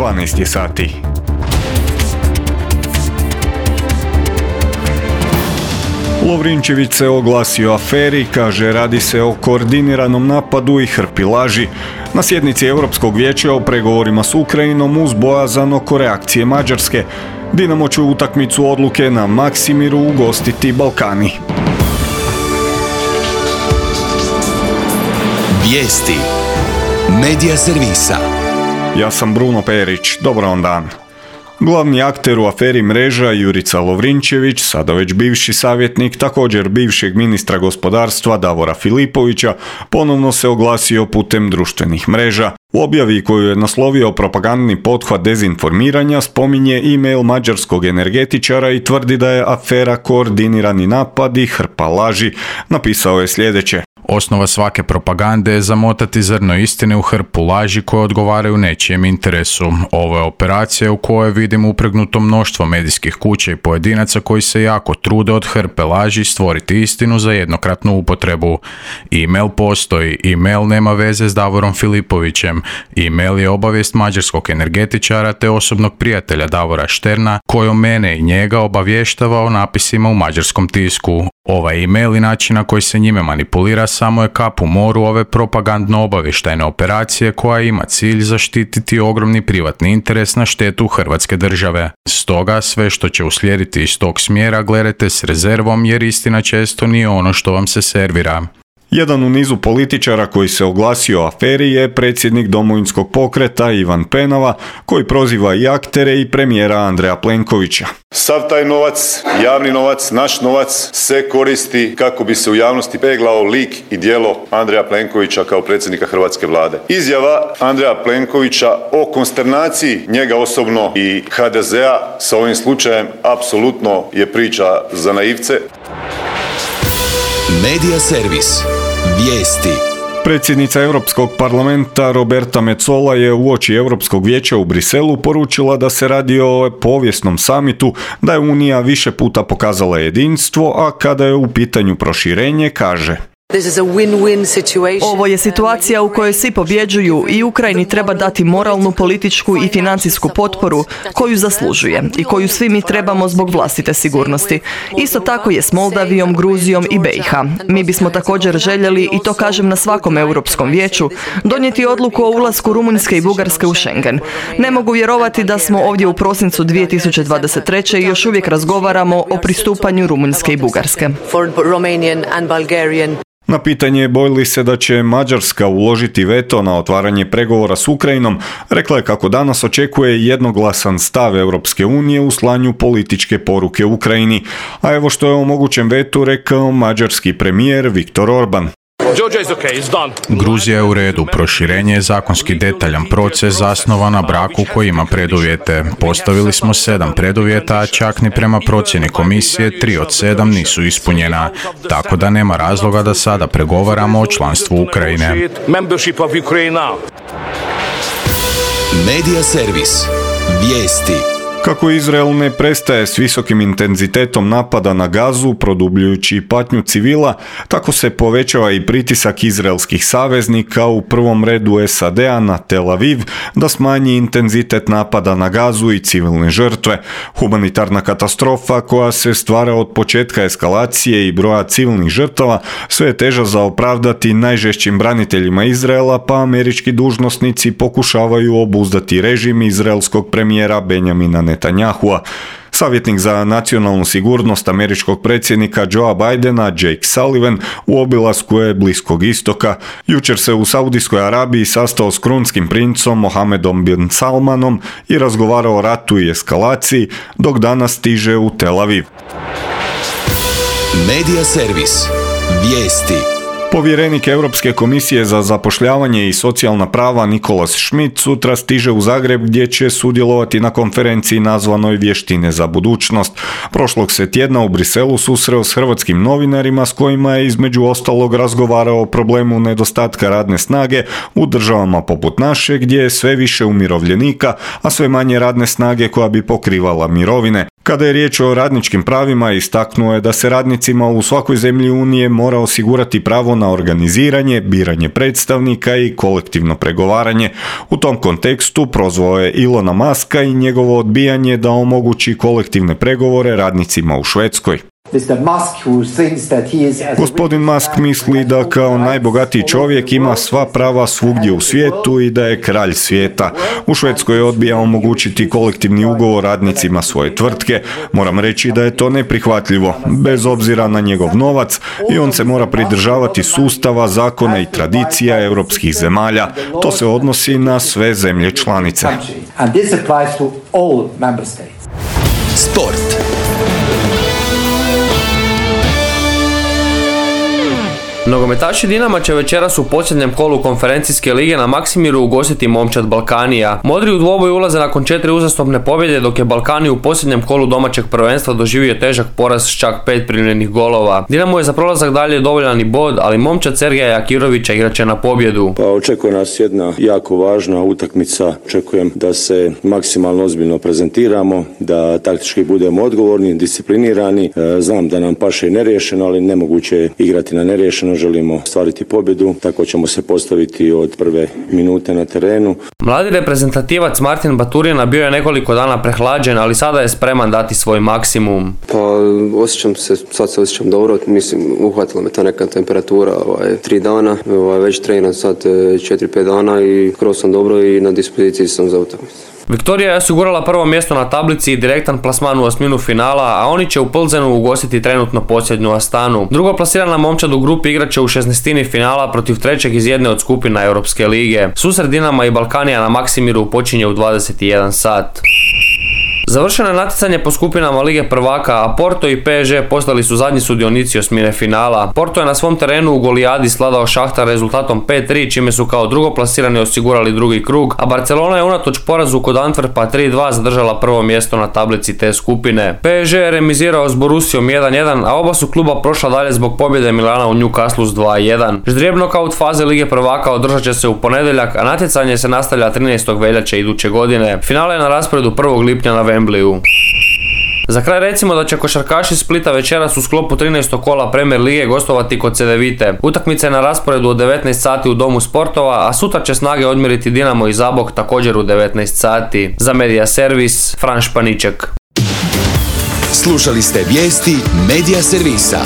12 je sati. Lovrinčević se oglasio o aferi, kaže radi se o koordiniranom napadu i hrpi laži. Na sjednici Europskog vijeća o pregovorima s Ukrajinom uz bojazan oko reakcije Mađarske. Dinamo će utakmicu odluke na Maksimiru ugostiti Balkani. Vijesti Medija servisa. Ja sam Bruno Perić, dobar vam dan. Glavni akter u aferi Mreža Jurica Lovrinčević, sada već bivši savjetnik također bivšeg ministra gospodarstva Davora Filipovića, ponovno se oglasio putem društvenih mreža. U objavi koju je naslovio propagandni pothvat dezinformiranja spominje e-mail mađarskog energetičara i tvrdi da je afera koordinirani napad i hrpa laži. Napisao je sljedeće. Osnova svake propagande je zamotati zrno istine u hrpu laži koje odgovaraju nečijem interesu. Ovo je operacija u kojoj vidim upregnuto mnoštvo medijskih kuća i pojedinaca koji se jako trude od hrpe laži stvoriti istinu za jednokratnu upotrebu. E-mail postoji, e-mail nema veze s Davorom Filipovićem. E-mail je obavijest mađarskog energetičara te osobnog prijatelja Davora Šterna kojom mene i njega obavještava o napisima u mađarskom tisku. Ovaj e-mail i način na koji se njime manipulira samo je kap u moru ove propagandno-obavještajne operacije koja ima cilj zaštititi ogromni privatni interes na štetu Hrvatske države. Stoga sve što će uslijediti iz tog smjera gledajte s rezervom jer istina često nije ono što vam se servira. Jedan u nizu političara koji se oglasio o aferi je predsjednik Domovinskog pokreta Ivan Penava, koji proziva i aktere i premijera Andreja Plenkovića. Sav taj novac, javni novac, naš novac se koristi kako bi se u javnosti peglao lik i djelo Andreja Plenkovića kao predsjednika Hrvatske vlade. Izjava Andreja Plenkovića o konsternaciji njega osobno i HDZ-a sa ovim slučajem apsolutno je priča za naivce. Medija servis. Vijesti. Predsjednica Europskog parlamenta Roberta Metsola je uoči Europskog vijeća u Briselu poručila da se radi o povijesnom samitu, da je Unija više puta pokazala jedinstvo, a kada je u pitanju proširenje, kaže: Ovo je situacija u kojoj svi pobjeđuju i Ukrajini treba dati moralnu, političku i financijsku potporu koju zaslužuje i koju svi mi trebamo zbog vlastite sigurnosti. Isto tako je s Moldavijom, Gruzijom i BiH. Mi bismo također željeli, i to kažem na svakom Europskom vijeću, donijeti odluku o ulasku Rumunjske i Bugarske u Schengen. Ne mogu vjerovati da smo ovdje u prosincu 2023. i još uvijek razgovaramo o pristupanju Rumunjske i Bugarske. Na pitanje boji li se da će Mađarska uložiti veto na otvaranje pregovora s Ukrajinom, rekla je kako danas očekuje jednoglasan stav Europske unije u slanju političke poruke Ukrajini. A evo što je o mogućem vetu rekao mađarski premijer Viktor Orban. Gruzija je u redu, proširenje je zakonski detaljan proces zasnovan na braku koji ima preduvjete. Postavili smo 7 preduvjeta, a čak ni prema procjeni komisije 3 od 7 nisu ispunjena, tako da nema razloga da sada pregovaramo o članstvu Ukrajine. Medija servis. Vijesti. Kako Izrael ne prestaje s visokim intenzitetom napada na Gazu, produbljujući patnju civila, tako se povećava i pritisak izraelskih saveznika, u prvom redu SAD-a na Tel Aviv, da smanji intenzitet napada na Gazu i civilne žrtve. Humanitarna katastrofa koja se stvara od početka eskalacije i broja civilnih žrtava sve je teža za opravdati najžešćim braniteljima Izraela, pa američki dužnosnici pokušavaju obuzdati režim izraelskog premijera Benjamina Netanyahua. Savjetnik za nacionalnu sigurnost američkog predsjednika Joea Bidena, Jake Sullivan, u obilasku je Bliskog istoka. Jučer se u Saudijskoj Arabiji sastao s krunskim princom Mohamedom bin Salmanom i razgovarao o ratu i eskalaciji, dok danas stiže u Tel Aviv. Medija servis. Vijesti. Povjerenik Europske komisije za zapošljavanje i socijalna prava Nicholas Schmit sutra stiže u Zagreb gdje će sudjelovati na konferenciji nazvanoj Vještine za budućnost. Prošlog se tjedna u Briselu susreo s hrvatskim novinarima s kojima je između ostalog razgovarao o problemu nedostatka radne snage u državama poput naše gdje je sve više umirovljenika, a sve manje radne snage koja bi pokrivala mirovine. Kada je riječ o radničkim pravima, istaknuo je da se radnicima u svakoj zemlji Unije mora osigurati pravo na organiziranje, biranje predstavnika i kolektivno pregovaranje. U tom kontekstu prozvao je Ilona Muska i njegovo odbijanje da omogući kolektivne pregovore radnicima u Švedskoj. Gospodin Musk misli da kao najbogatiji čovjek ima sva prava svugdje u svijetu i da je kralj svijeta. U Švedskoj odbija omogućiti kolektivni ugovor radnicima svoje tvrtke. Moram reći da je to neprihvatljivo, bez obzira na njegov novac, i on se mora pridržavati sustava, zakona i tradicija europskih zemalja. To se odnosi na sve zemlje članice. Sport. Nogometaši Dinama će večeras u posljednjem kolu konferencijske lige na Maksimiru ugostiti Momčad Balkanija. Modri u dvoboj ulaze nakon 4 uzastopne pobjede, dok je Balkani u posljednjem kolu domaćeg prvenstva doživio težak poraz s čak 5 primljenih golova. Dinamo je za prolazak dalje dovoljan i bod, ali Momčad Sergeja Jakirovića igraće na pobjedu. Pa očekuje nas jedna jako važna utakmica. Očekujem da se maksimalno ozbiljno prezentiramo, da taktički budemo odgovorni, disciplinirani. Znam da nam paše i neriješeno, ali nemoguće je igrati na neriješeno. Želimo stvariti pobjedu, tako ćemo se postaviti od prve minute na terenu. Mladi reprezentativac Martin Baturina bio je nekoliko dana prehlađen, ali sada je spreman dati svoj maksimum. Pa sad se osjećam dobro, mislim uhvatila me ta neka temperatura 3 dana, već treniram sad 4-5 dana i skoro sam dobro i na dispoziciji sam za utakmicu. Viktorija je osigurala prvo mjesto na tablici i direktan plasman u osminu finala, a oni će u Plzenu ugostiti trenutno posljednju Astanu. Drugo plasirana Momčad u grupi igraće u 16. finala protiv trećeg iz jedne od skupina Europske lige. Susret Dinama i Balkanija na Maksimiru počinje u 21 sat. Završeno je natjecanje po skupinama Lige prvaka, a Porto i PSG postali su zadnji sudionici osmine finala. Porto je na svom terenu u Golijadi sladao Šahtar rezultatom 5-3, čime su kao drugoplasirani osigurali drugi krug, a Barcelona je unatoč porazu kod Antwerpa 3-2 zadržala prvo mjesto na tablici te skupine. PSG je remizirao s Borussijom 1-1, a oba su kluba prošla dalje zbog pobjede Milana u Newcastle s 2-1. Ždrijeb nokaut faze Lige prvaka održat će se u ponedjeljak, a natjecanje se nastavlja 13. veljače iduće godine. Finale je na rasporedu 1. lipnja na Wembleyu. Za kraj recimo da će košarkaši Splita večeras u sklopu 13. kola Premier lige gostovati kod Cedevite. Utakmica je na rasporedu od 19 sati u Domu sportova, a sutra će Snage odmjeriti Dinamo i Zabok također u 19 sati. Za Medija servis, Fran Španiček. Slušali ste vijesti Medija servisa.